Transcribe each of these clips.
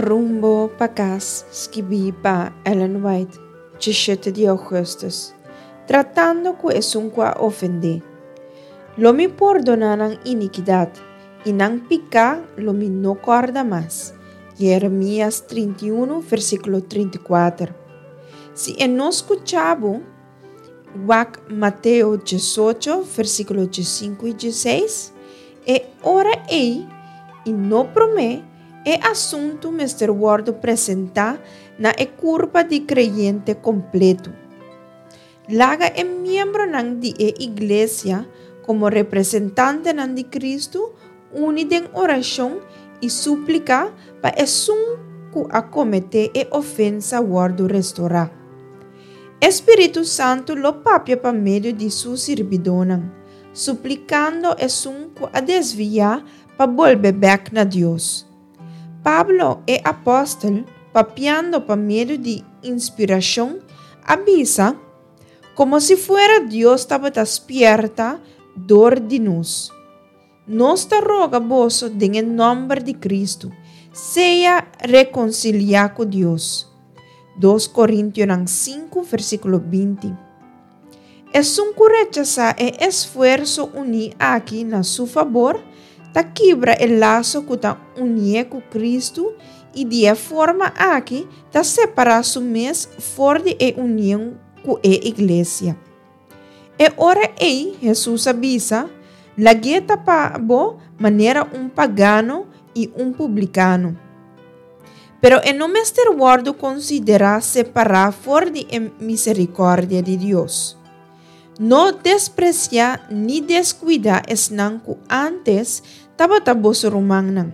Rumbo pa kas, skibí pa Ellen White, 17 di ougùstùs, tratando ku esun ku a ofendé. Lo mi pordoná nan inikidat, i nan piká lo mi no kòrda mas. Jeremias 31, versíkulo 34. Si e no skucha bo, wak Mateo 18, versíkulo 15 i 16, e ora ei, i no promé, e asuntu mester wòrdu presentá na e kurpa di kreyente kompletu. Laga e miembronan di e iglesia komo representantenan di Kristu uni den orashon i súplika pa esun ku a kometé e ofensa wòrdu restorá. E Spiritu Santu lo papia pa medio di Su sirbidónan, suplikando esun ku a desviá pa bolbe bèk na Dios. Pablo, e apòstel, papiando pa medio di inspirashon, a bisa, Komo si fuera Dios tabata spièrta dor di nos. Nos ta roga boso den e nòmber di Kristu, sea rekonsiliá ku Dios. Dos Korintionan sinku, versíkulo 20. Esun ku rechasá e esfuerso uní aki na su fabor, ta kibra e laso ku ta unié ku Kristu i di e forma aki ta separá su mes for di e union ku e iglesia. E ora ei Hesus a bisa, Lag'é ta pa bo manera un pagano i un publikano. Pero e no mester wòrdu konsiderá separá for di e miserikòrdia di Dios. No despresiá ni deskuidá esnan ku ántes tabata boso rumannan,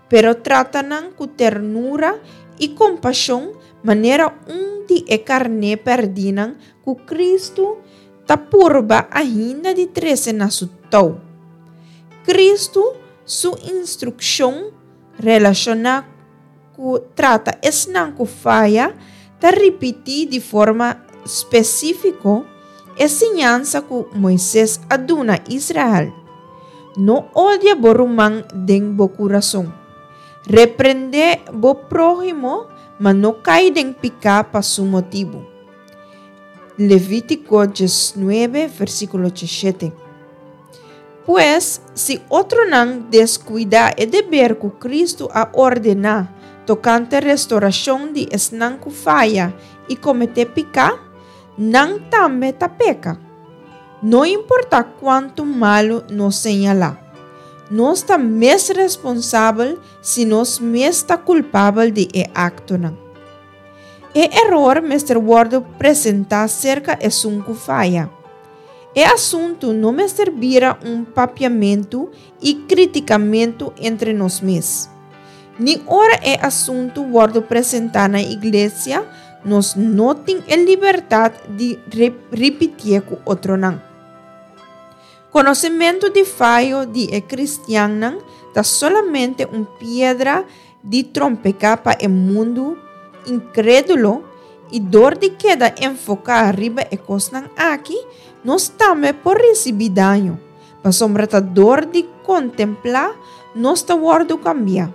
pero trata nan ku ternura i kompashon manera un di e karné pèrdínan ku Kristu ta purba ainda di trese na su tou. Kristu su instrukshon relashoná ku trata esnan ku faya ta ripití di forma spesífiko e siñansa ku Moises a duna Israel, No odia bo ruman den bo kurason. Reprendé bo próhimo, ma no kai den piká pa su motibu. Levítiko 19, versíkulo 17. Pues, si otronan deskuidá e deber ku Kristu a ordená tokante restorashon di esnan ku faya i kometé piká, nan tambe ta peka. No importá kuantu malu nos señalá, nos ta mes responsabel si nos mes ta kulpabel di e aktonan. E eror mester wòrdu presentá serka esun ku faya. E asuntu no mester bira un papiamentu i kritikamentu entre nos mes. Ni ora e asuntu wòrdu presentá na iglesia, nos no tin e libertat di ripitié ku otronan. Konosementu di fayo di e kristiannan ta solamente un piedra di trompeká pa e mundu inkrédulo i dor di keda enfoká riba e kosnan aki, nos tambe por risibí daño, pasobra ta dor di kontemplá nos ta wòrdu kambiá.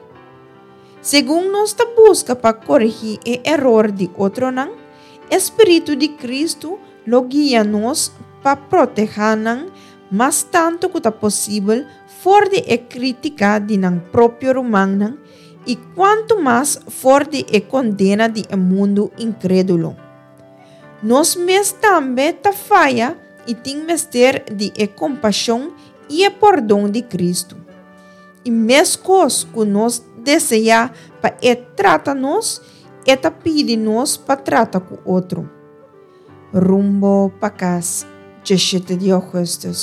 Segun nos ta buska pa koregí e eror di otronan, e spiritu di Kristu lo guia nos pa protehá nan mas tantu ku ta posibel for di e krítika di nan propio rumannan i kuantu mas for di e kondena di e mundu inkrédulo. Nos mes tambe ta faya i tin mester di e kompashon i e pordon di Kristu. I meskos ku nos deseá pa e trata nos, e ta pidi nos pa trata ku otro. Rumbo pa kas, 17 di ougùstùs.